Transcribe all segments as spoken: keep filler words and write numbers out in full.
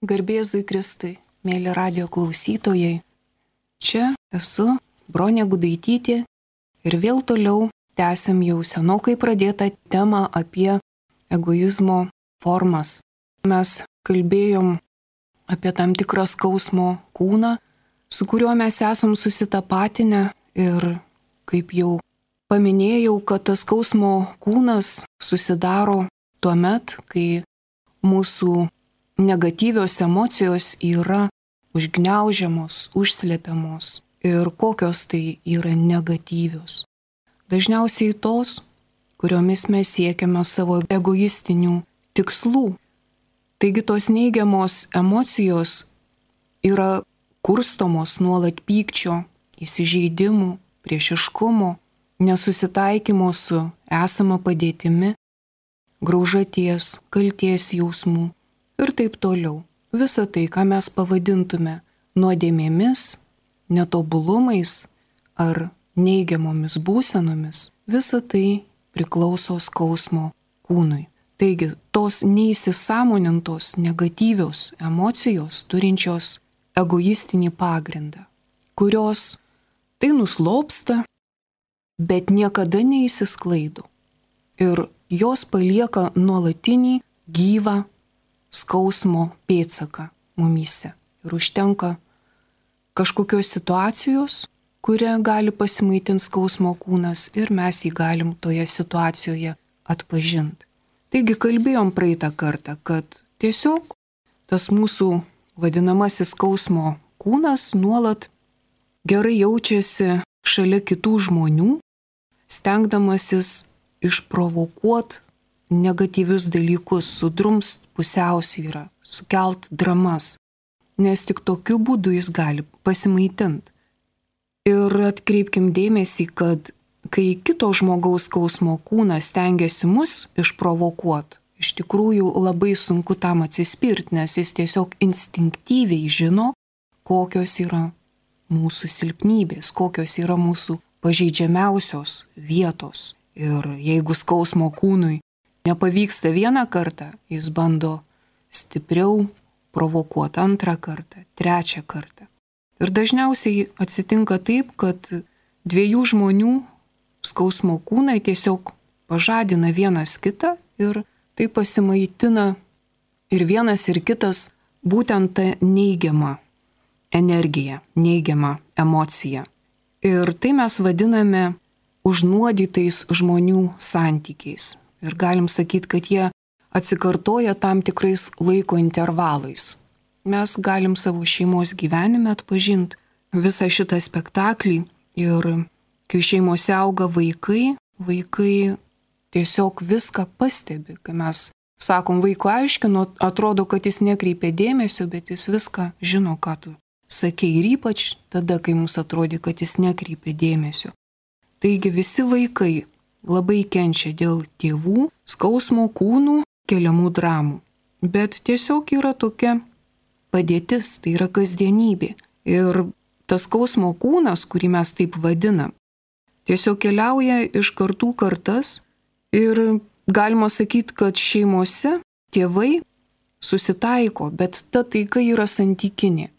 Garbėzui Kristui, mėly radio klausytojai. Čia esu Bronė Gudaitytė ir vėl toliau tęsiam jau senokai pradėtą temą apie egoizmo formas. Mes kalbėjom apie tam tikrą skausmo kūną, su kuriuo mes esam susitapatinę ir kaip jau paminėjau, kad tas skausmo kūnas susidaro tuomet, kai mūsų negatyvios emocijos yra užgniaužiamos, užslepiamos. Ir kokios tai yra negatyvios? Dažniausiai tos, kuriomis mes siekiame savo egoistinių tikslų. Taigi tos neigiamos emocijos yra kurstomos nuolat pykčio, įsižeidimų, priešiškumo, nesusitaikymo su esama padėtimi, graužaties, kalties jausmų ir taip toliau. Visa tai, ką mes pavadintume nuodėmėmis, netobulumais ar neigiamomis būsenomis, visa tai priklauso skausmo kūnui. Taigi, tos neįsisąmonintos negatyvios emocijos turinčios egoistinį pagrindą, kurios tai nuslopsta, bet niekada neįsisklaido. Ir jos palieka nuolatinį gyvą skausmo pėdsaką mumyse. Ir užtenka kažkokios situacijos, kurią gali pasimaitinti skausmo kūnas ir mes jį galim toje situacijoje atpažinti. Taigi kalbėjom praeitą kartą, kad tiesiog tas mūsų vadinamasis skausmo kūnas nuolat gerai jaučiasi šalia kitų žmonių, stengdamasis išprovokuot negatyvius dalykus, sudrumst pusiausvyrą, sukelt dramas, nes tik tokiu būdu jis gali pasimaitinti. Ir atkreipkim dėmesį, kad kai kito žmogaus skausmo kūnas stengiasi mus išprovokuot, iš tikrųjų labai sunku tam atsispirti, nes jis tiesiog instinktyviai žino, kokios yra mūsų silpnybės, kokios yra mūsų pažeidžiamiausios vietos. Ir jeigu skausmo kūnui nepavyksta vieną kartą, jis bando stipriau provokuoti antrą kartą, trečią kartą. Ir dažniausiai atsitinka taip, kad dviejų žmonių skausmo kūnai tiesiog pažadina vienas kitą ir tai pasimaitina ir vienas ir kitas būtent tą neigiamą energiją, neigiamą emociją. Ir tai mes vadiname užnuodytais žmonių santykiais. Ir galim sakyti, kad jie atsikartoja tam tikrais laiko intervalais. Mes galim savo šeimos gyvenime atpažinti visą šitą spektaklį ir kai šeimose auga vaikai, vaikai tiesiog viską pastebi. Kai mes sakom vaiko aiškino, atrodo, kad jis nekreipia dėmesio, bet jis viską žino, ką tu sakei ir ypač tada, kai mums atrodė, kad jis nekreipia dėmesio. Taigi visi vaikai labai kenčia dėl tėvų skausmo kūnų keliamų dramų. Bet tiesiog yra tokia padėtis, tai yra kasdienybė. Ir tas skausmo kūnas, kurį mes taip vadinam, tiesiog keliauja iš kartų kartas ir galima sakyti, kad šeimose tėvai susitaiko, bet ta taika yra santykinė.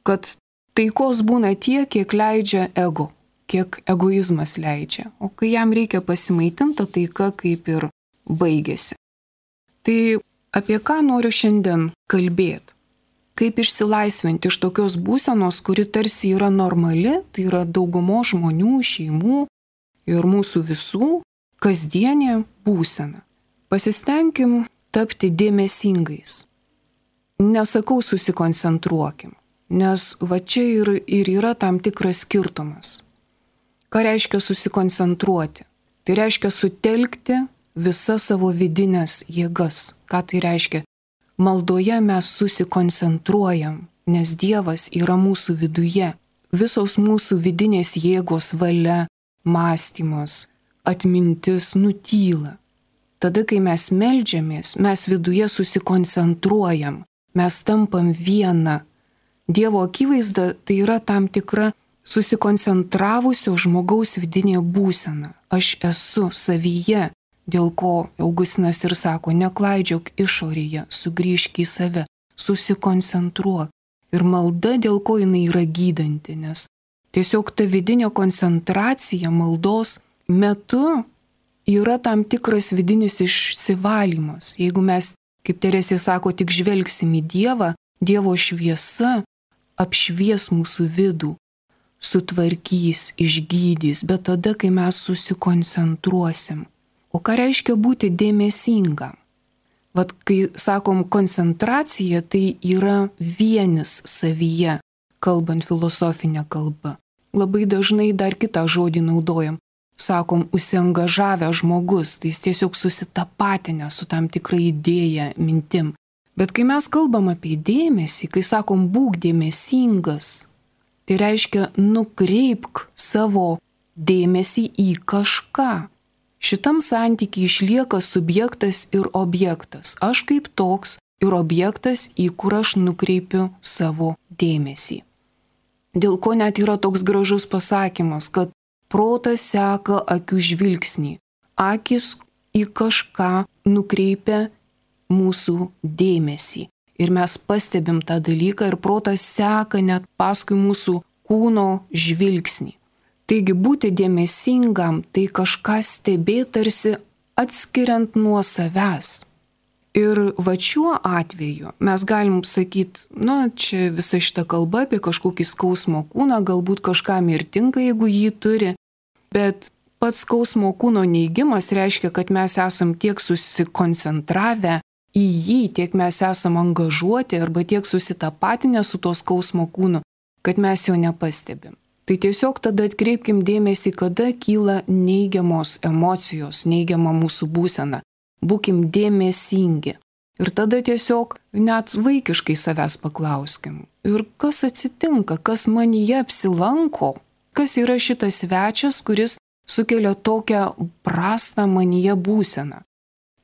Kad taikos būna tiek, kiek leidžia ego, kiek egoizmas leidžia. O kai jam reikia pasimaitinti, taika kaip ir baigėsi. Tai apie ką noriu šiandien kalbėti? Kaip išsilaisvinti iš tokios būsenos, kuri tarsi yra normali, tai yra daugumo žmonių, šeimų ir mūsų visų kasdienė būsena. Pasistengim tapti dėmesingais. Nesakau susikoncentruokim, nes va čia ir, ir yra tam tikras skirtumas. Ką reiškia susikoncentruoti? Tai reiškia sutelkti visas savo vidinės jėgas. Ką tai reiškia? Maldoje mes susikoncentruojam, nes Dievas yra mūsų viduje. Visos mūsų vidinės jėgos, valia, mąstymas, atmintis nutyla. Tada, kai mes meldžiamės, mes viduje susikoncentruojam, mes tampam viena. Dievo akivaizda tai yra tam tikra susikoncentravusio žmogaus vidinė būsena. Aš esu savyje, dėl ko Augustinas ir sako, neklaidžiok išorėje, sugrįžk į save, susikoncentruok. Ir malda, dėl ko jinai yra gydanti, nes tiesiog ta vidinė koncentracija maldos metu yra tam tikras vidinis išsivalymas. Jeigu mes, kaip Teresė sako, tik žvelgsim į Dievą, Dievo šviesa apšvies mūsų vidų, sutvarkys, išgydys, bet tada, kai mes susikoncentruosim. O ką reiškia būti dėmesingam? Vat kai sakom koncentracija, tai yra vienis savyje, kalbant filosofinę kalbą. Labai dažnai dar kitą žodį naudojam. Sakom, užsiangažavę žmogus, tai jis tiesiog susitapatinę su tam tikra idėja, mintim. Bet kai mes kalbam apie dėmesį, kai sakom būk dėmesingas, tai reiškia nukreipk savo dėmesį į kažką. Šitam santykiai išlieka subjektas ir objektas. Aš kaip toks ir objektas, į kur aš nukreipiu savo dėmesį. Dėl ko net yra toks gražus pasakymas, kad protas seka akių žvilgsnį. Akis į kažką nukreipia mūsų dėmesį. Ir mes pastebim tą dalyką ir protas seka net paskui mūsų kūno žvilgsnį. Taigi būti dėmesingam, tai kažką stebėti tarsi atskiriant nuo savęs. Ir va šiuo atveju mes galim sakyti, na, čia visa šita kalba apie kažkokį skausmo kūną, galbūt kažkam ir tinka, jeigu jį turi, bet pats skausmo kūno neigimas reiškia, kad mes esam tiek susikoncentravę į jį, tiek mes esam angažuoti arba tiek susitapatinę su to skausmo kūnu, kad mes jo nepastebim. Tai tiesiog tada atkreipkim dėmesį, kada kyla neigiamos emocijos, neigiama mūsų būsena. Būkim dėmesingi. Ir tada tiesiog net vaikiškai savęs paklauskim. Ir kas atsitinka, kas manyje apsilanko, kas yra šitas svečias, kuris sukelia tokią prastą manyje būseną.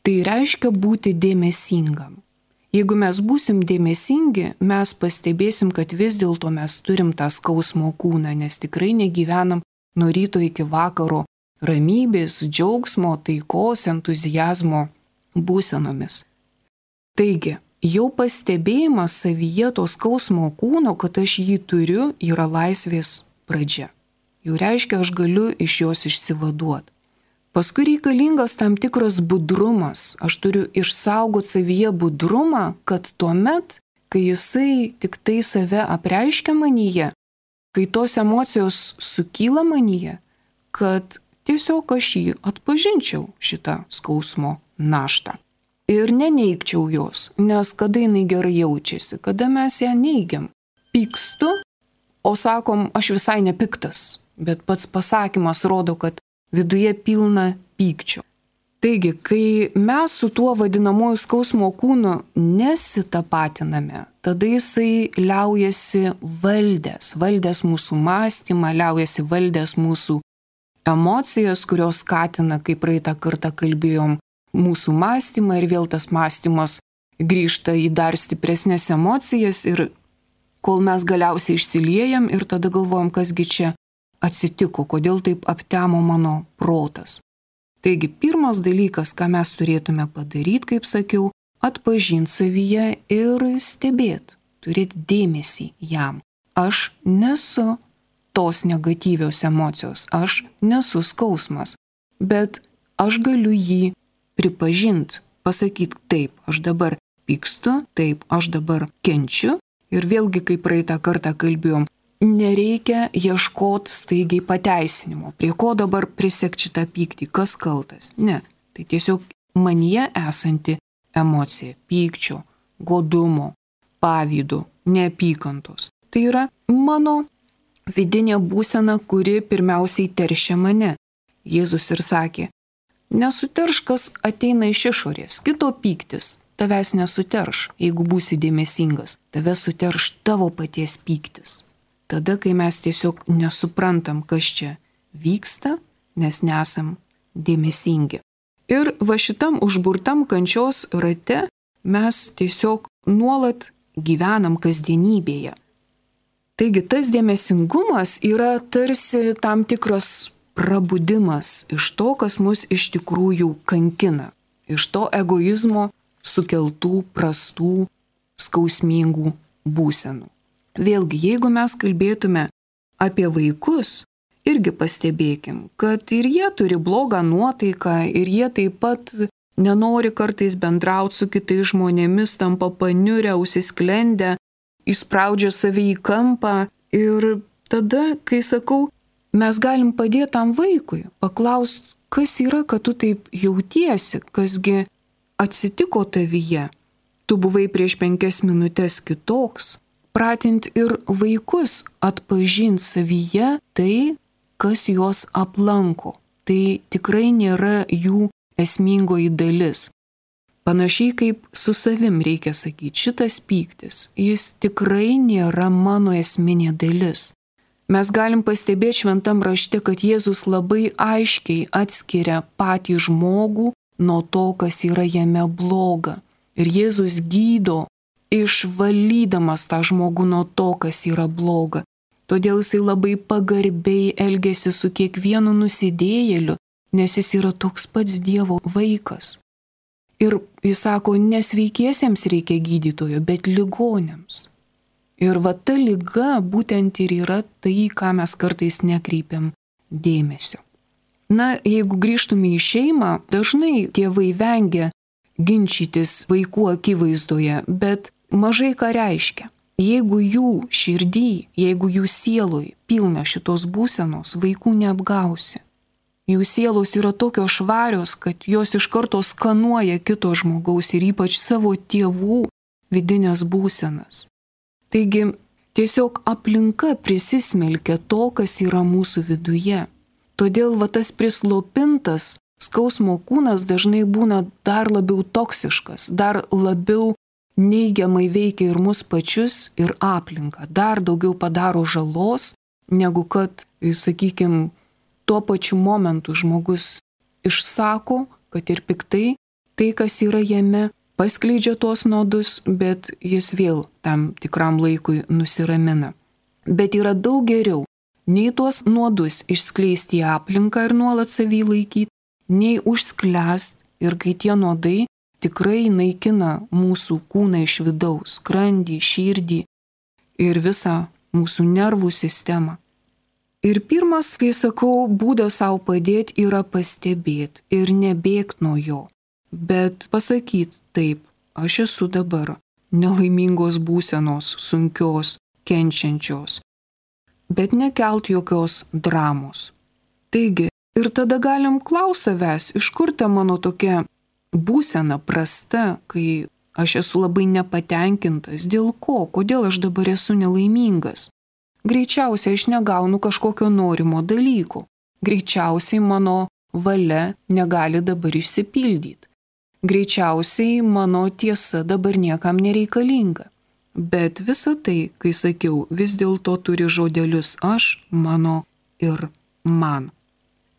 Tai reiškia būti dėmesingam. Jeigu mes būsim dėmesingi, mes pastebėsim, kad vis dėlto mes turim tą skausmo kūną, nes tikrai negyvenam nuo ryto iki vakaro ramybės, džiaugsmo, taikos, entuzijazmo būsenomis. Taigi, jau pastebėjimas savyje to skausmo kūno, kad aš jį turiu, yra laisvės pradžia. Jau reiškia, aš galiu iš jos išsivaduoti. Paskui reikalingas tam tikras budrumas. Aš turiu išsaugoti savyje budrumą, kad tuomet, kai jisai tik tai save apreiškia manyje, kai tos emocijos sukyla manyje, kad tiesiog aš jį atpažinčiau šitą skausmo naštą. Ir neneigčiau jos, nes kada jinai gerai jaučiasi, kada mes ją neigiam. Pykstu, o sakom, aš visai nepiktas, bet pats pasakymas rodo, kad viduje pilna pykčio. Taigi, kai mes su tuo vadinamoju skausmo kūnu nesitapatiname, tada jisai liaujasi valdęs, valdęs mūsų mąstymą, liaujasi valdęs mūsų emocijas, kurios skatina, kaip praeitą kartą kalbėjom, mūsų mąstymą ir vėl tas mąstymas grįžta į dar stipresnės emocijas ir kol mes galiausiai išsiliejam ir tada galvojam, kasgi čia atsitiko, kodėl taip aptemo mano protas. Taigi, pirmas dalykas, ką mes turėtume padaryti, kaip sakiau, atpažinti savyje ir stebėti, turėti dėmesį jam. Aš nesu tos negatyvios emocijos, aš nesu skausmas, bet aš galiu jį pripažinti, pasakyti taip, aš dabar pykstu, taip, aš dabar kenčiu ir vėlgi, kaip praeitą kartą kalbėjom, nereikia ieškoti staigiai pateisinimo. Prie ko dabar prisekti šitą pyktį? Kas kaltas? Ne. Tai tiesiog manyje esanti emocija – pykčio, godumo, pavydo, neapykantos. Tai yra mano vidinė būsena, kuri pirmiausiai teršia mane. Jėzus ir sakė, nesuterš, kas ateina iš išorės, kito pyktis tavęs nesuterš, jeigu būsi dėmesingas, tave suterš tavo paties pyktis. Tada, kai mes tiesiog nesuprantam, kas čia vyksta, nes nesam dėmesingi. Ir va šitam užburtam kančios rate mes tiesiog nuolat gyvenam kasdienybėje. Taigi tas dėmesingumas yra tarsi tam tikras prabudimas iš to, kas mus iš tikrųjų kankina, iš to egoizmo sukeltų prastų skausmingų būsenų. Vėlgi, jeigu mes kalbėtume apie vaikus, irgi pastebėkim, kad ir jie turi blogą nuotaiką, ir jie taip pat nenori kartais bendrauti su kitais žmonėmis, tampa paniurę, užsisklendę, įspraudžia save į kampą. Ir tada, kai sakau, mes galim padėti tam vaikui, paklausti, kas yra, kad tu taip jautiesi, kasgi atsitiko tavyje. Tu buvai prieš penkias minutės kitoks. Pratinti ir vaikus atpažinti savyje tai, kas juos aplanko. Tai tikrai nėra jų esmingoji dalis. Panašiai kaip su savim reikia sakyti, šitas pyktis, jis tikrai nėra mano esminė dalis. Mes galim pastebėti šventam rašte, kad Jėzus labai aiškiai atskiria patį žmogų nuo to, kas yra jame bloga. Ir Jėzus gydo, išvalydamas tą žmogų nuo to, kas yra bloga. Todėl jisai labai pagarbiai elgėsi su kiekvienu nusidėjėliu, nes jis yra toks pats Dievo vaikas. Ir jis sako, nesveikiesiems reikia gydytojo, bet ligoniams. Ir va ta liga būtent ir yra tai, ką mes kartais nekreipiam dėmesio. Na, jeigu grįžtume į šeimą, dažnai tėvai vengia ginčytis vaikų akivaizdoje, bet mažai ką reiškia. Jeigu jų širdį, jeigu jų sieloj pilna šitos būsenos, vaikų neapgausi. Jų sielos yra tokios švarios, kad jos iš karto skanuoja kito žmogaus ir ypač savo tėvų vidinės būsenas. Taigi tiesiog aplinka prisismelkia to, kas yra mūsų viduje. Todėl va tas prislopintas skausmo kūnas dažnai būna dar labiau toksiškas, dar labiau neigiamai veikia ir mus pačius, ir aplinką. Dar daugiau padaro žalos, negu kad, sakykime, tuo pačiu momentu žmogus išsako, kad ir piktai, tai, kas yra jame, paskleidžia tuos nuodus, bet jis vėl tam tikram laikui nusiramina. Bet yra daug geriau, nei tuos nuodus išskleisti į aplinką ir nuolat savį laikyti, nei užsklęst ir kai tie nuodai tikrai naikina mūsų kūną iš vidaus, skrandį, širdį ir visą mūsų nervų sistemą. Ir pirmas, kai sakau, būdas savo padėti yra pastebėti ir nebėgti nuo jo, bet pasakyti taip, aš esu dabar nelaimingos būsenos, sunkios, kenčiančios, bet nekelt jokios dramos. Taigi, ir tada galim klausti savęs, iš kur ta mano tokia būsena prasta, kai aš esu labai nepatenkintas, dėl ko, kodėl aš dabar esu nelaimingas. Greičiausiai aš negaunu kažkokio norimo dalyko. Greičiausiai mano valia negali dabar išsipildyti. Greičiausiai mano tiesa dabar niekam nereikalinga. Bet visa tai, kai sakiau, vis dėlto turi žodelius aš, mano ir man.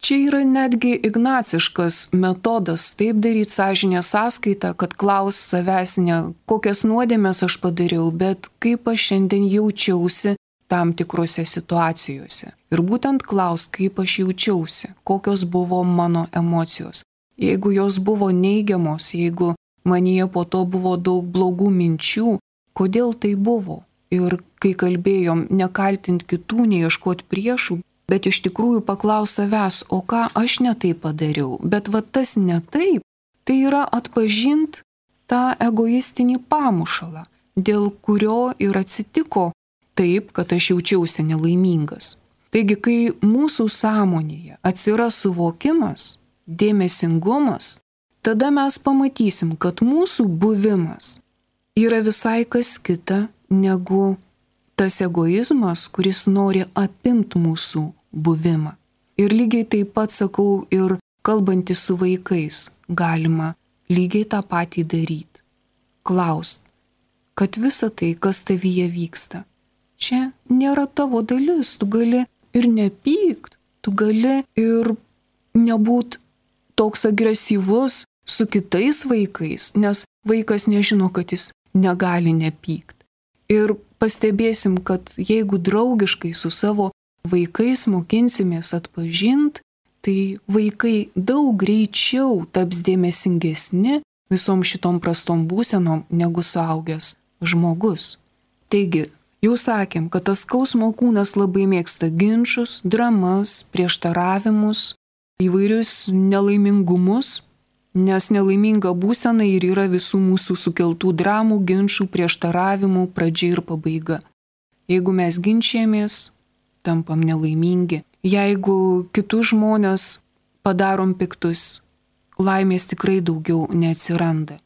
Čia yra netgi ignaciškas metodas taip daryti sąžinės sąskaitą, kad klaus savęs ne kokias nuodėmes aš padariau, bet kaip aš šiandien jaučiausi tam tikrose situacijose. Ir būtent klaus, kaip aš jaučiausi, kokios buvo mano emocijos. Jeigu jos buvo neigiamos, jeigu manyje po to buvo daug blogų minčių, kodėl tai buvo? Ir kai kalbėjom, nekaltint kitų, neieškoti priešų, bet iš tikrųjų paklaus savęs, o ką aš ne taip padariau. Bet va tas ne taip, tai yra atpažint tą egoistinį pamušalą, dėl kurio ir atsitiko taip, kad aš jaučiausi nelaimingas. Taigi, kai mūsų sąmonėje atsiras suvokimas, dėmesingumas, tada mes pamatysim, kad mūsų buvimas yra visai kas kita negu tas egoizmas, kuris nori apimti mūsų buvimą. Ir lygiai taip pat sakau ir kalbantys su vaikais, galima lygiai tą patį daryti. Klaust, kad visa tai, kas tavyje vyksta, čia nėra tavo dalis, tu gali ir nepykt, tu gali ir nebūt toks agresyvus su kitais vaikais, nes vaikas nežino, kad jis negali nepykt. Ir pastebėsim, kad jeigu draugiškai su savo vaikais mokinsimės atpažint, tai vaikai daug greičiau taps dėmesingesni visom šitom prastom būsenom negu suaugęs žmogus. Taigi, jau sakėm, kad tas skausmo kūnas labai mėgsta ginčus, dramas, prieštaravimus, įvairius nelaimingumus, nes nelaiminga būsena ir yra visų mūsų sukeltų dramų, ginčių, prieštaravimų pradžia ir pabaiga. Jeigu mes ginčiamės, tampam nelaimingi. Jeigu kitus žmonės padarom piktus, laimės tikrai daugiau neatsiranda.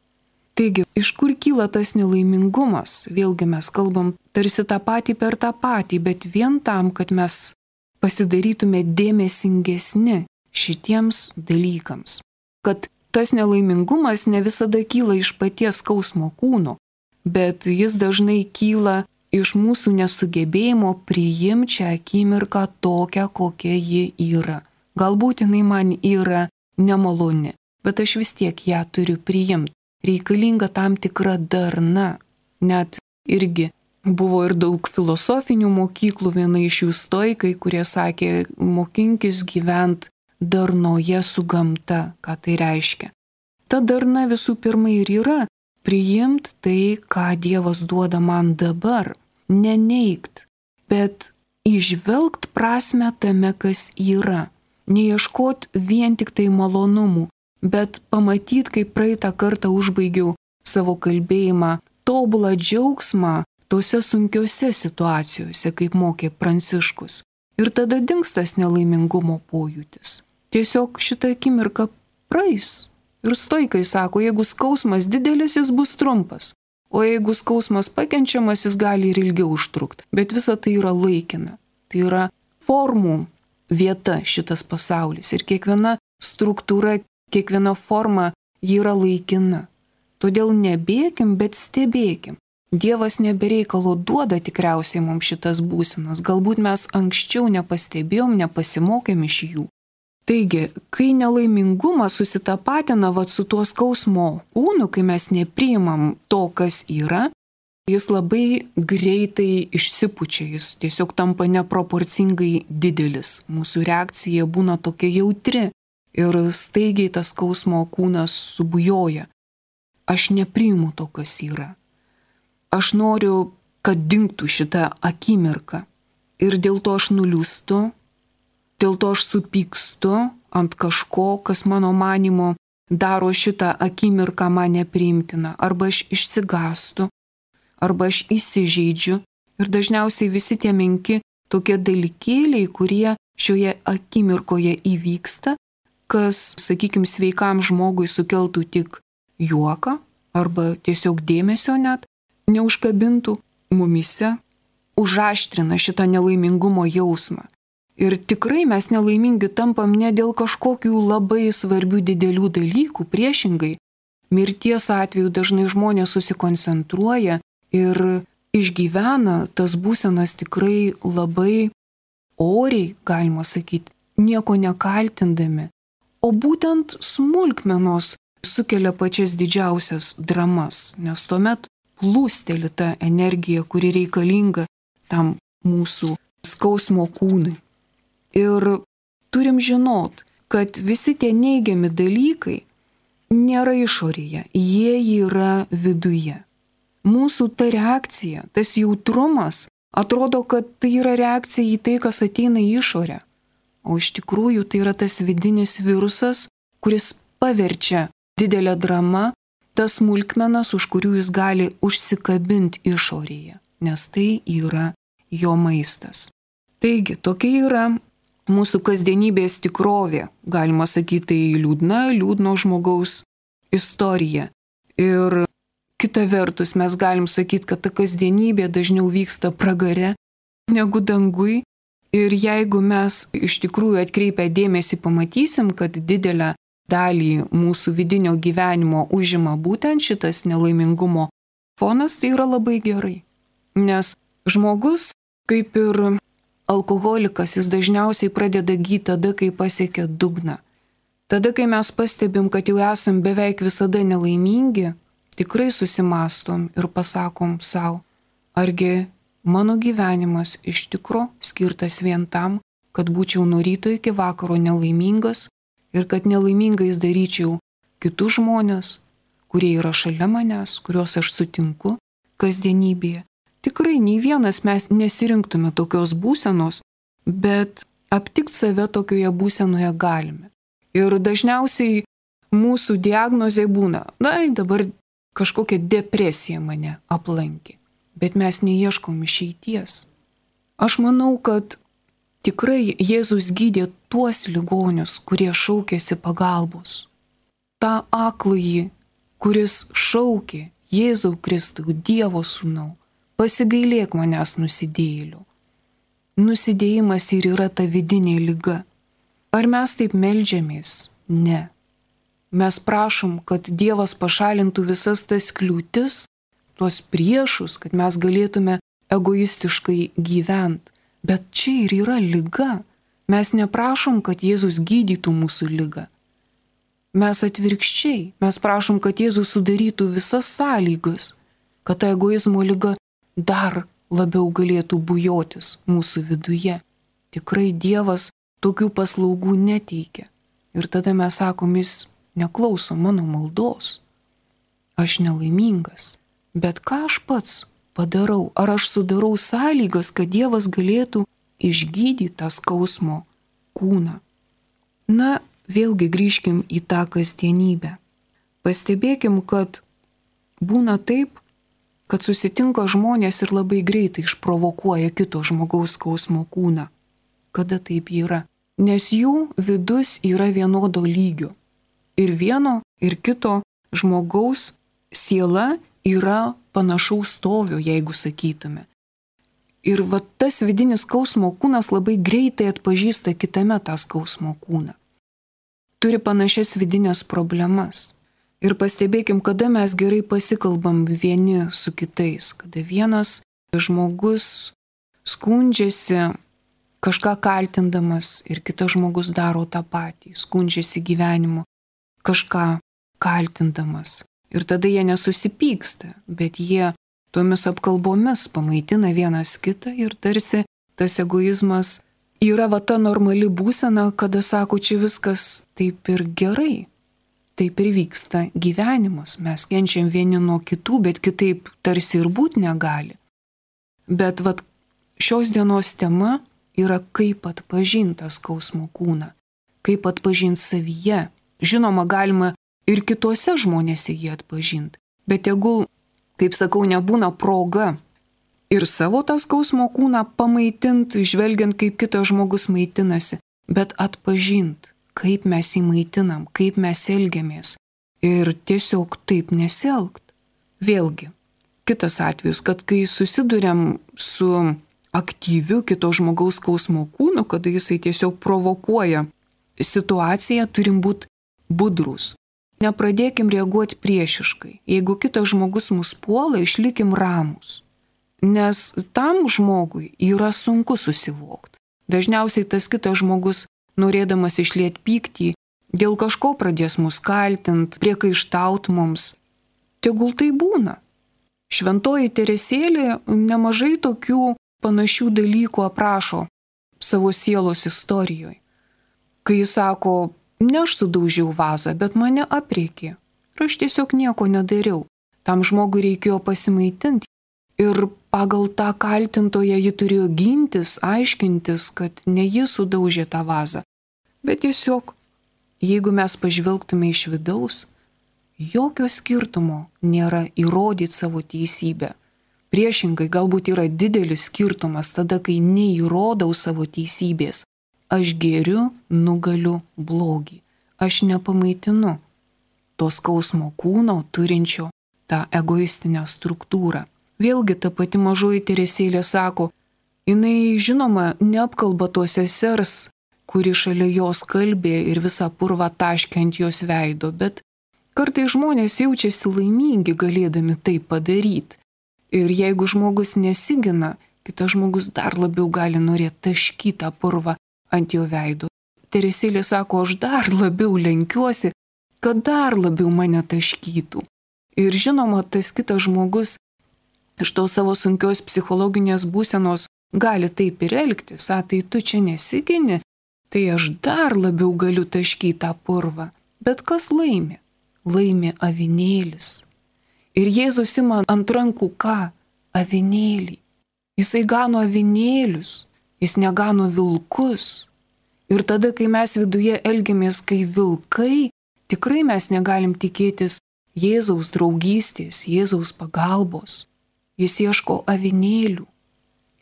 Taigi, iš kur kyla tas nelaimingumas? Vėlgi mes kalbam tarsi tą patį per tą patį, bet vien tam, kad mes pasidarytume dėmesingesni šitiems dalykams. Kad tas nelaimingumas ne visada kyla iš paties skausmo kūno, bet jis dažnai kyla iš mūsų nesugebėjimo priimti šią akimirką tokią, kokia ji yra. Galbūt jinai man yra nemaloni, bet aš vis tiek ją turiu priimti. Reikalinga tam tikra darna. Net irgi buvo ir daug filosofinių mokyklų, viena iš jų stoikai, kurie sakė, mokinkis gyventi darnoje su gamta. Ką tai reiškia? Ta darna visų pirma ir yra priimti tai, ką Dievas duoda man dabar. Neneigt, bet įžvelgt prasme tame, kas yra. Neieškot vien tik tai malonumų, bet pamatyt, kaip praeitą kartą užbaigiau savo kalbėjimą, tobulą džiaugsmą tose sunkiose situacijose, kaip mokė Pranciškus. Ir tada dings tas nelaimingumo pojūtis. Tiesiog šitą akimirką praeis. Ir stoikai sako, jeigu skausmas didelis, jis bus trumpas. O jeigu skausmas pakenčiamas, jis gali ir ilgiau užtrukti. Bet visa tai yra laikina. Tai yra formų vieta šitas pasaulis. Ir kiekviena struktūra, kiekviena forma ji yra laikina. Todėl nebėkim, bet stebėkim. Dievas nebereikalo duoda tikriausiai mums šitas būsenas. Galbūt mes anksčiau nepastebėjom, nepasimokėm iš jų. Taigi, kai nelaimingumas susitapatina vat su tuo skausmo kūnu, kai mes nepriimam to, kas yra, jis labai greitai išsipučia, jis tiesiog tampa neproporcingai didelis. Mūsų reakcija būna tokia jautri ir staigiai tas skausmo kūnas subujoja. Aš nepriimu to, kas yra. Aš noriu, kad dingtų šitą akimirką. Ir dėl to aš nuliūstu, dėl to aš supykstu ant kažko, kas mano manymu daro šitą akimirką man nepriimtiną. Arba aš išsigastu, arba aš įsižeidžiu. Ir dažniausiai visi tie menki tokie dalykėliai, kurie šioje akimirkoje įvyksta, kas, sakykime, sveikam žmogui sukeltų tik juoką, arba tiesiog dėmesio net neužkabintų mumise, užaštrina šitą nelaimingumo jausmą. Ir tikrai mes nelaimingi tampam ne dėl kažkokių labai svarbių didelių dalykų, priešingai. Mirties atveju dažnai žmonės susikoncentruoja ir išgyvena tas būsenas tikrai labai oriai, galima sakyti, nieko nekaltindami. O būtent smulkmenos sukelia pačias didžiausias dramas, nes tuomet plūsteli ta energija, kuri reikalinga tam mūsų skausmo kūnui. Ir turim žinot, kad visi tie neigiami dalykai nėra išorėje, jie yra viduje. Mūsų ta reakcija, tas jautrumas, atrodo, kad tai yra reakcija į tai, kas ateina į išorę. O iš tikrųjų tai yra tas vidinis virusas, kuris paverčia didelę dramą, tas smulkmenas, už kurių jis gali užsikabinti išorėje, nes tai yra jo maistas. Taigi, tokia yra mūsų kasdienybės tikrovė, galima sakyti, tai liūdna, liūdno žmogaus istorija. Ir kita vertus, mes galim sakyti, kad ta kasdienybė dažniau vyksta pragare negu dangui. Ir jeigu mes iš tikrųjų atkreipę dėmesį pamatysim, kad didelę dalį mūsų vidinio gyvenimo užima būtent šitas nelaimingumo fonas, tai yra labai gerai. Nes žmogus, kaip ir alkoholikas, jis dažniausiai pradeda gyti tada, kai pasiekia dugną. Tada, kai mes pastebim, kad jau esam beveik visada nelaimingi, tikrai susimastom ir pasakom savo, argi mano gyvenimas iš tikro skirtas vien tam, kad būčiau nuo ryto iki vakaro nelaimingas ir kad nelaimingais daryčiau kitus žmonės, kurie yra šalia manęs, kuriuos aš sutinku, kasdienybėje. Tikrai nei vienas mes nesirinktume tokios būsenos, bet aptikti save tokioje būsenoje galime. Ir dažniausiai mūsų diagnozė būna, na, dabar kažkokia depresija mane aplankė, bet mes neieškom išeities. Aš manau, kad tikrai Jėzus gydė tuos ligonius, kurie šaukėsi pagalbos. Ta akląjį, kuris šaukė Jėzau Kristau, Dievo sūnau, pasigailėk manęs nusidėjėlių. Nusidėjimas ir yra ta vidinė liga. Ar mes taip meldžiamės? Ne. Mes prašom, kad Dievas pašalintų visas tas kliūtis, tuos priešus, kad mes galėtume egoistiškai gyventi. Bet čia ir yra liga. Mes neprašom, kad Jėzus gydytų mūsų ligą. Mes atvirkščiai, mes prašom, kad Jėzus sudarytų visas sąlygas, kad ta egoizmo liga dar labiau galėtų bujotis mūsų viduje. Tikrai Dievas tokių paslaugų neteikia. Ir tada mes sakom, jis neklauso mano maldos. Aš nelaimingas. Bet ką aš pats padarau? Ar aš sudarau sąlygas, kad Dievas galėtų išgydyti tą skausmo kūną? Na, vėlgi grįžkim į tą kasdienybę. Pastebėkim, kad būna taip, kad susitinka žmonės ir labai greitai išprovokuoja kito žmogaus skausmo kūną. Kada taip yra? Nes jų vidus yra vienodo lygio. Ir vieno, ir kito žmogaus siela yra panašaus stovio, jeigu sakytume. Ir va tas vidinis skausmo kūnas labai greitai atpažįsta kitame tą skausmo kūną. Turi panašias vidinės problemas. Ir pastebėkim, kada mes gerai pasikalbam vieni su kitais, kada vienas žmogus skundžiasi kažką kaltindamas ir kitas žmogus daro tą patį, skundžiasi gyvenimu, kažką kaltindamas. Ir tada jie nesusipyksta, bet jie tomis apkalbomis pamaitina vienas kitą ir tarsi tas egoizmas yra va ta normali būsena, kada sako, čia viskas taip ir gerai. Taip ir vyksta gyvenimas. Mes kenčiam vieni nuo kitų, bet kitaip tarsi ir būt negali. Bet vat šios dienos tema yra kaip atpažinti skausmo kūną, kaip atpažinti savyje. Žinoma, galima ir kitose žmonėse jį atpažinti, bet jeigu, kaip sakau, nebūna proga ir savo tą skausmo kūną pamaitinti, žvelgiant, kaip kitas žmogus maitinasi, bet atpažinti, kaip mes jį maitinam, kaip mes elgiamės ir tiesiog taip nesielgt. Vėlgi, kitas atvejis, kad kai susiduriam su aktyviu kito žmogaus skausmo kūnu, kada jisai tiesiog provokuoja situaciją, turim būti budrus. Nepradėkim reaguoti priešiškai. Jeigu kitas žmogus mus puola, išlikim ramus. Nes tam žmogui yra sunku susivokti. Dažniausiai tas kitas žmogus, norėdamas išlieti pyktį, dėl kažko pradės mus kaltinti, priekaištaut mums. Tegul tai būna. Šventoji Teresėlė nemažai tokių panašių dalykų aprašo savo sielos istorijoje. Kai jis sako, ne aš sudaužiau vazą, bet mane apreikė. Ir aš tiesiog nieko nedariau. Tam žmogui reikėjo pasimaitinti. Ir pagal tą kaltintoją ji turėjo gintis, aiškintis, kad ne jis sudaužė tą vazą. Bet tiesiog, jeigu mes pažvelgtume iš vidaus, jokio skirtumo nėra įrodyti savo teisybę. Priešingai, galbūt yra didelis skirtumas tada, kai neįrodau savo teisybės. Aš geriu, nugaliu blogį. Aš nepamaitinu to skausmo kūno turinčio tą egoistinę struktūrą. Vėlgi ta pati mažoji Teresėlė sako, jinai žinoma neapkalba tos sesers, kuri šalia jos kalbė ir visą purvą taškė ant jos veido, bet kartai žmonės jaučiasi laimingi galėdami tai padaryti. Ir jeigu žmogus nesigina, kitas žmogus dar labiau gali norėti taškyti tą purvą ant jo veido. Teresėlė sako, aš dar labiau lenkiuosi, kad dar labiau mane taškytų. Ir žinoma, tas kitas žmogus iš to savo sunkios psichologinės būsenos gali taip ir elgtis, a, tai tu čia nesigini, tai aš dar labiau galiu taškyti tą purvą. Bet kas laimi? Laimi avinėlis. Ir Jėzus ima ant rankų ką? avinėlį. Jisai gano avinėlius, jis negano vilkus. Ir tada, kai mes viduje elgiamės kaip vilkai, tikrai mes negalim tikėtis Jėzaus draugystės, Jėzaus pagalbos. Jis ieško avinėlių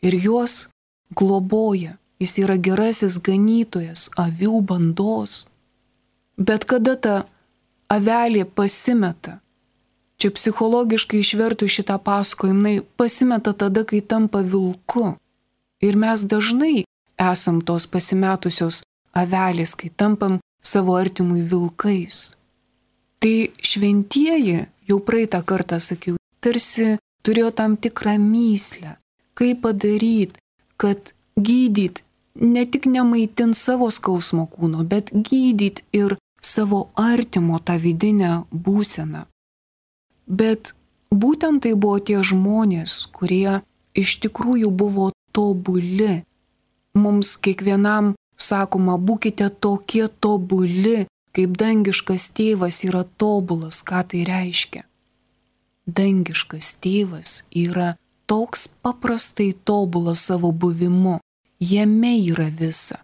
ir juos globoja. Jis yra gerasis ganytojas avių bandos. Bet kada ta avelė pasimeta, čia psichologiškai išvertų šitą pasakojimą, jinai pasimeta tada, kai tampa vilku. Ir mes dažnai esam tos pasimetusios avelės, kai tampam savo artimui vilkais. Tai šventieji, jau praeitą kartą sakiau, tarsi turėjo tam tikrą myslę, kaip padaryti, kad gydyt ne tik nemaitint savo skausmo kūno, bet gydyt ir savo artimo tą vidinę būseną. Bet būtent tai buvo tie žmonės, kurie iš tikrųjų buvo tobuli. Mums kiekvienam sakoma, būkite tokie tobuli, kaip dangiškas tėvas yra tobulas. Ką tai reiškia? Dangiškas tėvas yra toks paprastai tobulas savo buvimu. Jame yra visa.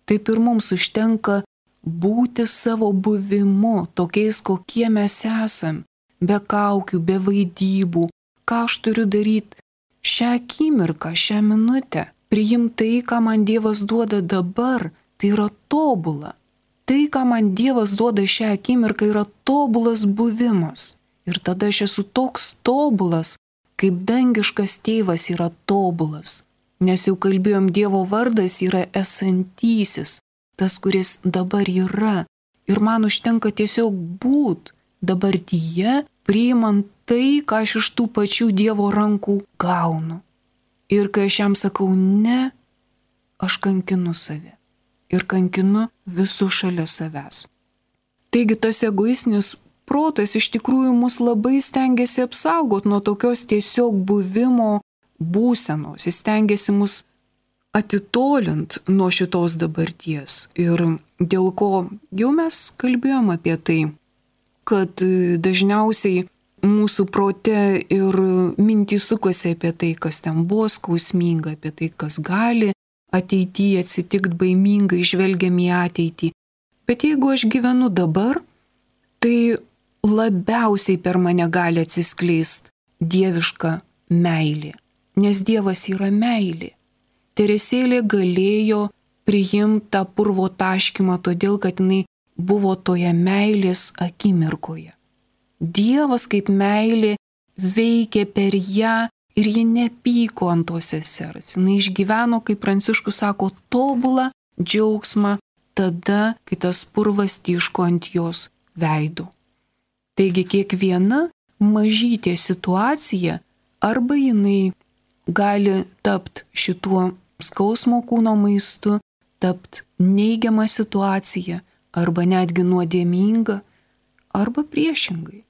Taip ir mums užtenka būti savo buvimu, tokiais, kokie mes esam, be kaukių, be vaidybų. Ką aš turiu daryti šią akimirką, šią minutę? Priimti tai, ką man Dievas duoda dabar, tai yra tobula. Tai, ką man Dievas duoda šią akimirką, yra tobulas buvimas. Ir tada aš esu toks tobulas, kaip dangiškas tėvas yra tobulas. Nes jau kalbėjom, Dievo vardas yra esantysis, tas, kuris dabar yra. Ir man užtenka tiesiog būt dabartyje, priimant tai, ką aš iš tų pačių Dievo rankų gaunu. Ir kai aš jam sakau ne, aš kankinu save. Ir kankinu visus šalia savęs. Taigi tas egoistinis protas iš tikrųjų mus labai stengiasi apsaugoti nuo tokios tiesiog buvimo būsenos. Jis stengiasi mus atitolint nuo šitos dabarties. Ir dėl ko jau mes kalbėjom apie tai, kad dažniausiai mūsų prote ir mintys sukasi apie tai, kas ten buvo skausminga, apie tai, kas gali ateityje atsitikti baimingai, žvelgiam į ateitį. Bet jeigu aš gyvenu dabar, tai labiausiai per mane gali atsiskleisti dieviška meilė. Nes Dievas yra meilė. Teresėlė galėjo priimti tą purvo taškymą, todėl kad jinai buvo toje meilės akimirkoje. Dievas kaip meilė veikė per ją ir ji nepyko ant tos sesers. Jis išgyveno, kaip Pranciškus sako, tobulą džiaugsmą tada, kai tas purvas tyško ant jos veido. Taigi kiekviena mažytė situacija arba jinai gali tapti šituo skausmo kūno maistu, tapti neigiamą situaciją arba netgi nuodėminga, arba priešingai.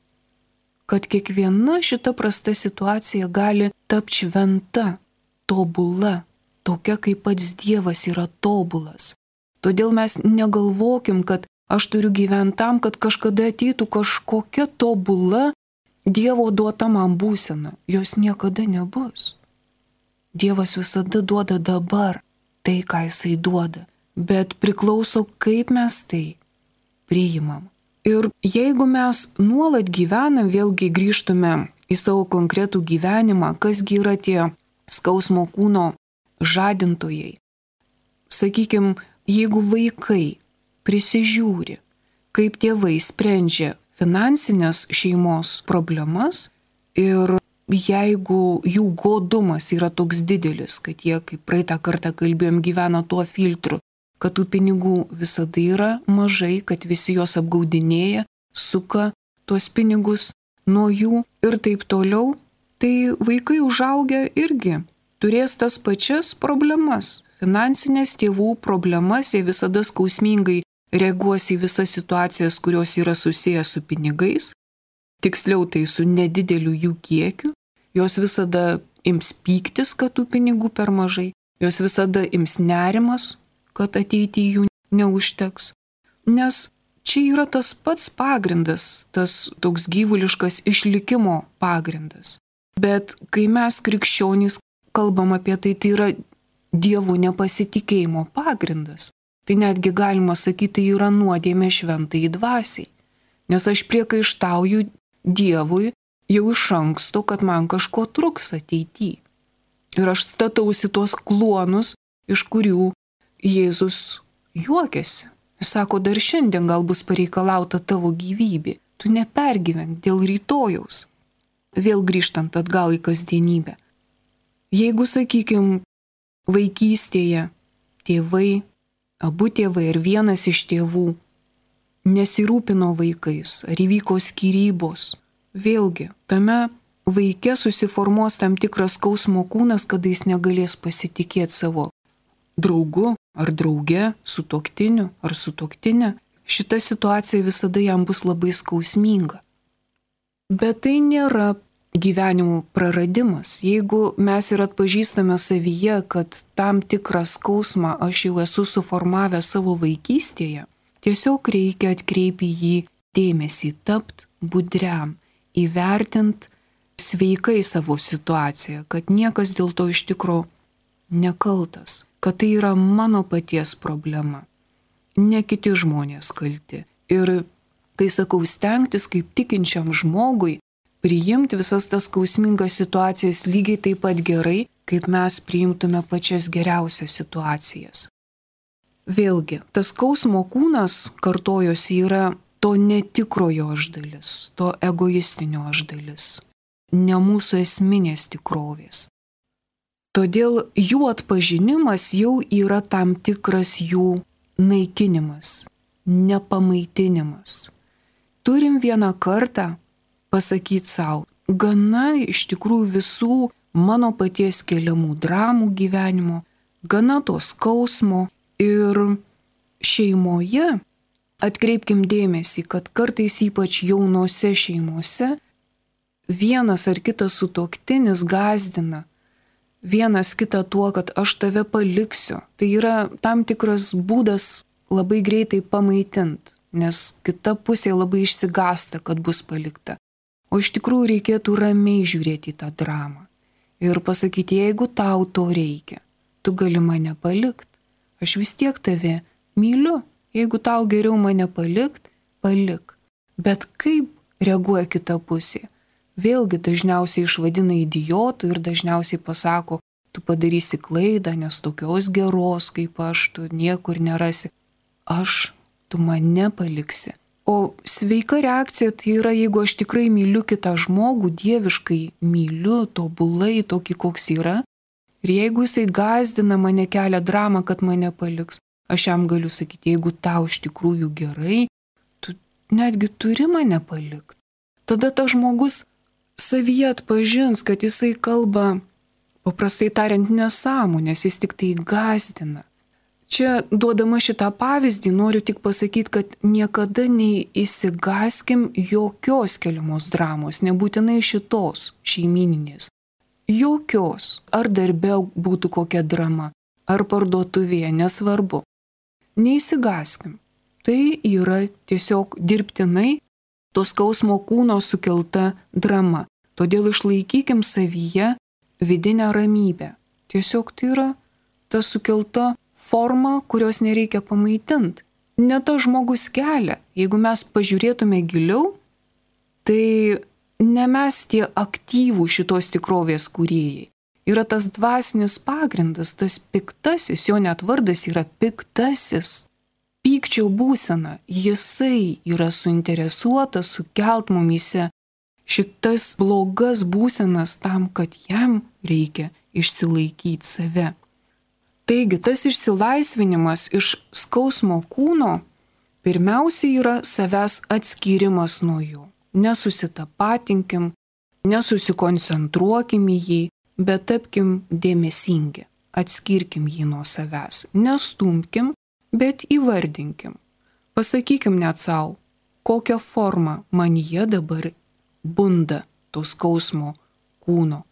Kad kiekviena šita prasta situacija gali tapti šventa, tobula, tokia kaip pats Dievas yra tobulas. Todėl mes negalvokim, kad aš turiu gyventi tam, kad kažkada ateitų kažkokia tobula Dievo duota man būsena. Jos niekada nebus. Dievas visada duoda dabar tai, ką Jisai duoda, bet priklauso, kaip mes tai priimam. Ir jeigu mes nuolat gyvenam, vėlgi grįžtume į savo konkretų gyvenimą, kasgi yra tie skausmo kūno žadintojai. Sakykime, jeigu vaikai prisižiūri, kaip tėvai sprendžia finansinės šeimos problemas ir jeigu jų godumas yra toks didelis, kad jie, kaip praeitą kartą kalbėjom, gyvena tuo filtru, kad tų pinigų visada yra mažai, kad visi juos apgaudinėja, suka tuos pinigus nuo jų ir taip toliau, tai vaikai užaugę irgi turės tas pačias problemas, finansinės tėvų problemas, jie visada skausmingai reaguos į visas situacijas, kurios yra susijęs su pinigais, tiksliau tai su nedideliu jų kiekiu, jos visada ims pyktis, kad tų pinigų per mažai, jos visada ims nerimas, kad ateityje jų neužteks. Nes čia yra tas pats pagrindas, tas toks gyvuliškas išlikimo pagrindas. Bet kai mes krikščionys kalbam apie tai, tai yra Dievo nepasitikėjimo pagrindas. Tai netgi galima sakyti, tai yra nuodėmė šventai dvasiai. Nes aš priekaištauju Dievui jau iš anksto, kad man kažko truks ateityje. Ir aš statausi tuos kluonus, iš kurių Jėzus juokiasi. Jis sako, dar šiandien gal bus pareikalauta tavo gyvybė. Tu nepergyvenk dėl rytojaus. Vėl grįžtant atgal į kasdienybę. Jeigu, sakykime, vaikystėje tėvai, abu tėvai ar vienas iš tėvų nesirūpino vaikais, ar įvyko skyrybos, vėlgi, tame vaike susiformuos tam tikras skausmo kūnas, kada jis negalės pasitikėti savo draugu ar drauge, sutuoktiniu ar sutuoktinė. Šita situacija visada jam bus labai skausminga. Bet tai nėra gyvenimo praradimas. Jeigu mes ir atpažįstame savyje, kad tam tikrą skausmą aš jau esu suformavęs savo vaikystėje, tiesiog reikia atkreipti jį dėmesį, tapt budriam, įvertint sveikai savo situaciją, kad niekas dėl to iš tikro nekaltas, kad tai yra mano paties problema, ne kiti žmonės kalti. Ir kai sakau stengtis kaip tikinčiam žmogui, priimti visas tas skausmingas situacijas lygiai taip pat gerai, kaip mes priimtume pačias geriausias situacijas. Vėlgi, tas skausmo kūnas, kartojosi, yra to netikrojo aš dalis, to egoistinio aš dalis, ne mūsų esminės tikrovės. Todėl jų atpažinimas jau yra tam tikras jų naikinimas, nepamaitinimas. Turim vieną kartą pasakyti savo, gana iš tikrųjų visų mano paties keliamų dramų gyvenimo, gana to skausmo ir šeimoje atkreipkim dėmesį, kad kartais ypač jaunose šeimose vienas ar kitas sutuoktinis gąsdina vienas kitą tuo, kad aš tave paliksiu. Tai yra tam tikras būdas labai greitai pamaitint, nes kita pusė labai išsigąsta, kad bus palikta. O iš tikrųjų reikėtų ramiai žiūrėti į tą dramą ir pasakyti, jeigu tau to reikia, tu gali mane palikti, aš vis tiek tave myliu, jeigu tau geriau mane palikt, palik. Bet kaip reaguoja kita pusė? Vėlgi dažniausiai išvadina idiotų ir dažniausiai pasako, tu padarysi klaidą, nes tokios geros kaip aš, tu niekur nerasi. Aš, tu mane paliksi. O sveika reakcija tai yra, jeigu aš tikrai myliu kitą žmogų, dieviškai myliu, tobulai, tokį koks yra, ir jeigu jisai gąsdina mane, kelia dramą, kad mane paliks, aš jam galiu sakyti, jeigu tau iš tikrųjų gerai, tu netgi turi mane palikti. Tada tas žmogus savyje atpažins, kad jisai kalba, paprastai tariant, nesąmonės, jis tik tai gąsdina. Čia duodama šitą pavyzdį noriu tik pasakyti, kad niekada neįsigaskim jokios keliamos dramos, nebūtinai šitos šeimininės. Jokios. Ar darbe būtų kokia drama, ar parduotuvėje, nesvarbu. Neįsigaskim. Tai yra tiesiog dirbtinai to skausmo kūno sukelta drama. Todėl išlaikykim savyje vidinę ramybę. Tiesiog tai yra ta sukelta forma, kurios nereikia pamaitinti. Ne tas žmogus kelia. Jeigu mes pažiūrėtume giliau, tai ne mes tie aktyvų šitos tikrovės kūrėjai. Yra tas dvasinis pagrindas, tas piktasis, jo net vardas yra piktasis. Pykčio būsena, jisai yra suinteresuotas sukelt mumyse šitas blogas būsenas tam, kad jam reikia išsilaikyti save. Taigi, tas išsilaisvinimas iš skausmo kūno pirmiausia yra savęs atskyrimas nuo jo. Nesusitapatinkim, nesusikoncentruokim į jį, bet tapkim dėmesingi, atskirkim jį nuo savęs, nestumkim, bet įvardinkim. Pasakykim net savo, kokią formą manyje dabar bunda to skausmo kūno.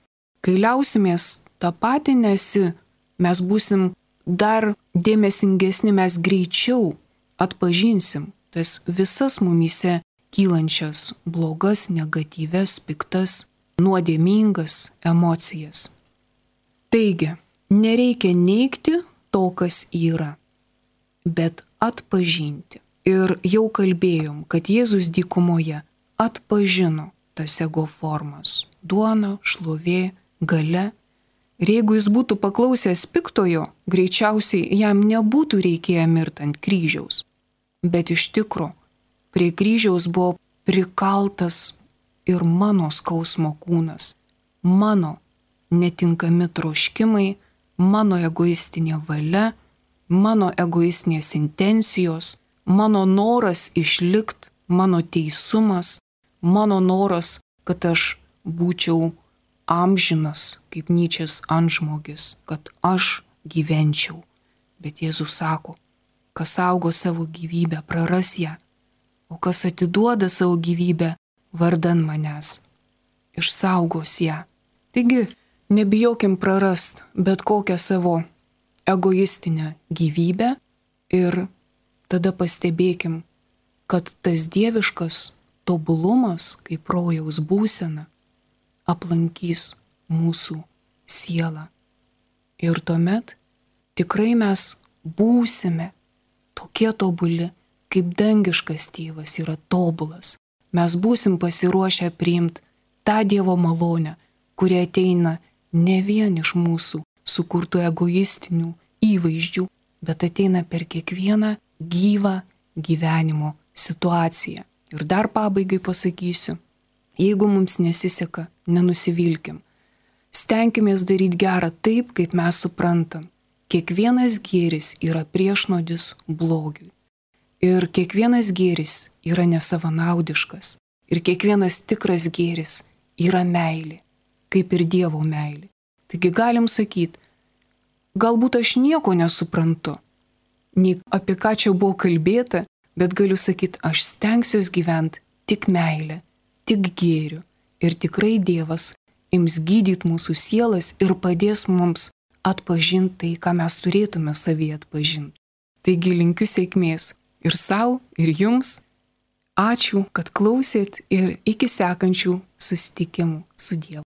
Kai liausimės tapatinėsi, mes būsim dar dėmesingesni, mes greičiau atpažinsim tas visas mumyse kylančias blogas, negatyves, piktas nuodėmingas emocijas. Taigi, nereikia neigti to, kas yra, bet atpažinti. Ir jau kalbėjom, kad Jėzus dykumoje atpažino tas ego formas - duona, šlovė, galia. Ir jeigu jis būtų paklausęs piktojo, greičiausiai jam nebūtų reikėję mirti ant kryžiaus. Bet iš tikro, prie kryžiaus buvo prikaltas ir mano skausmo kūnas, mano netinkami troškimai, mano egoistinė valia, mano egoistinės intencijos, mano noras išlikti, mano teisumas, mano noras, kad aš būčiau amžinas, kaip Nyčės antžmogis, kad aš gyvenčiau. Bet Jėzus sako, kas saugo savo gyvybę, praras ją, o kas atiduoda savo gyvybę vardan manęs, išsaugos ją. Taigi, nebijokim prarast bet kokią savo egoistinę gyvybę ir tada pastebėkim, kad tas dieviškas tobulumas, kaip rojaus būsena, aplankys mūsų sielą. Ir tuomet tikrai mes būsime tokie tobuli, kaip dangiškas tėvas yra tobulas. Mes būsim pasiruošę priimti tą Dievo malonę, kuri ateina ne vien iš mūsų sukurtų egoistinių įvaizdžių, bet ateina per kiekvieną gyvą gyvenimo situaciją. Ir dar pabaigai pasakysiu, jeigu mums nesiseka, nenusivilkim. Stenkimės daryti gerą taip, kaip mes suprantam. Kiekvienas gėris yra priešnodis blogiui. Ir kiekvienas gėris yra nesavanaudiškas. Ir kiekvienas tikras gėris yra meilė, kaip ir Dievo meilė. Taigi galim sakyti, galbūt aš nieko nesuprantu, nei apie ką čia buvo kalbėta, bet galiu sakyti, aš stengsiuosi gyventi tik meilę, tik gėriu. Ir tikrai Dievas ims gydyti mūsų sielas ir padės mums atpažinti tai, ką mes turėtume savyje atpažinti. Taigi linkiu sėkmės ir sau, ir jums. Ačiū, kad klausėt ir iki sekančių susitikimų su Dievu.